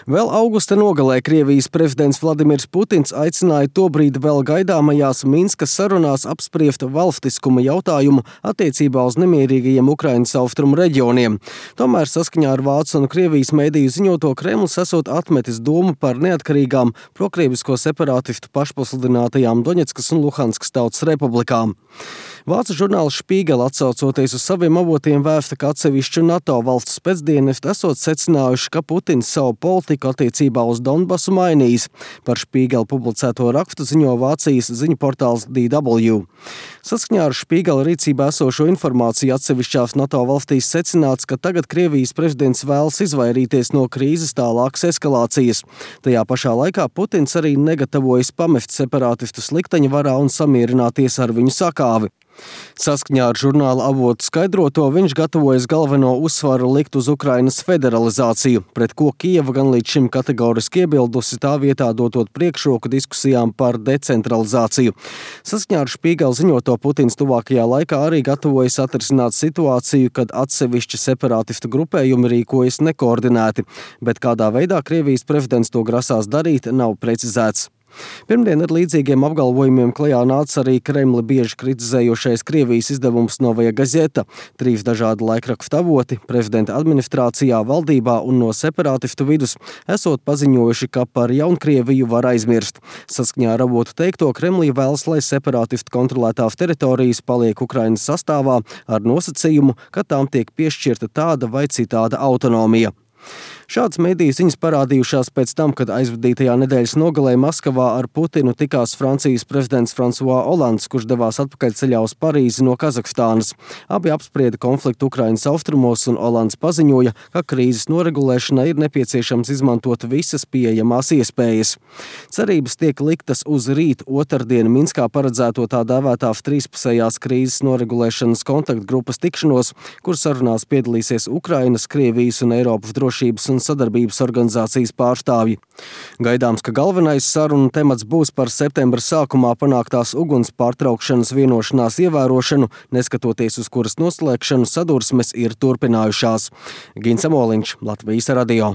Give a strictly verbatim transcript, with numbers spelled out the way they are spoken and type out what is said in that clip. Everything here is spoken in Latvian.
Vēl augusta nogalē Krievijas prezidents Vladimirs Putins aicināja tobrīd vēl gaidāmajās Minskas sarunās apspriest valstiskuma jautājumu attiecībā uz nemierīgajiem Ukrainas austrumu reģioniem. Tomēr saskaņā ar Vācu un Krievijas mediju ziņoto Kremlis esot atmetis domu par neatkarīgām prokrievisko separātistu pašpasludinātajām Doņetskas un Luhanskas tautas republikām. Vācu žurnāls Spiegel atsaucoties uz saviem avotiem vēsta, ka atsevišķu NATO valstu spēcdienesti esot secinājuši, ka Putins savu politiku attiecībā uz Donbasu mainījis. Par Spiegel publicēto rakstu ziņo Vācijas ziņu portāls D W. Saskaņā ar Spiegel rīcībā esošo informāciju atsevišķās NATO valstīs secināts, ka tagad Krievijas prezidents vēlas izvairīties no krīzes tālākas eskalācijas. Tajā pašā laikā Putins arī negatavojas pamest separātistus likteņa varā un samierināties ar viņu sakāvi. Saskaņā ar žurnāla avotu skaidroto, viņš gatavojas galveno uzsvaru likt uz Ukrainas federalizāciju, pret ko Kijeva gan līdz šim kategoriski iebildusi, tā vietā dotot priekšroku diskusijām par decentralizāciju. Saskaņā ar Spiegel ziņoto, Putins tuvākajā laikā arī gatavojas atrisināt situāciju, kad atsevišķi separātistu grupējumi rīkojas nekoordinēti, bet kādā veidā Krievijas prezidents to grasās darīt, nav precizēts. Pirmdien ar līdzīgiem apgalvojumiem klajā nāca arī Kremli bieži kritizējošais Krievijas izdevums Novaja Gazeta. Trīs dažādi laikrakstu avoti prezidenta administrācijā, valdībā un no separātistu vidus esot paziņojuši, ka par Jaunkrieviju var aizmirst. Saskaņā ar avotu teikto, Kremlī vēlas, lai separātistu kontrolētās teritorijas paliek Ukrainas sastāvā ar nosacījumu, ka tām tiek piešķirta tāda vai citāda autonomija. Šādas mediju ziņas parādījušās pēc tam, kad aizvadītajā nedēļas nogalē Maskavā ar Putinu tikās Francijas prezidents François Hollands, kurš devās atpakaļceļā uz Parīzi no Kazahstānas. Abi apsprieda konfliktu Ukrainas austrumos, un Hollands paziņoja, ka krīzes noregulēšanai ir nepieciešams izmantot visas pieejamās iespējas. Cerības tiek liktas uz rīt otrdien Minskā paredzēto tā dēvētās trīspusējās krīzes noregulēšanas kontaktgrupas tikšanos, kur sarunās piedalīsies Ukrainas, Krievijas un Eiropas drošības un sadarbības organizācijas pārstāvji. Gaidāms, ka galvenais sarunu temats būs par septembra sākumā panāktās uguns pārtraukšanas vienošanās ievērošanu, neskatoties uz kuras noslēgšanu sadursmes ir turpinājušās. Gins Amoliņš, Latvijas radio.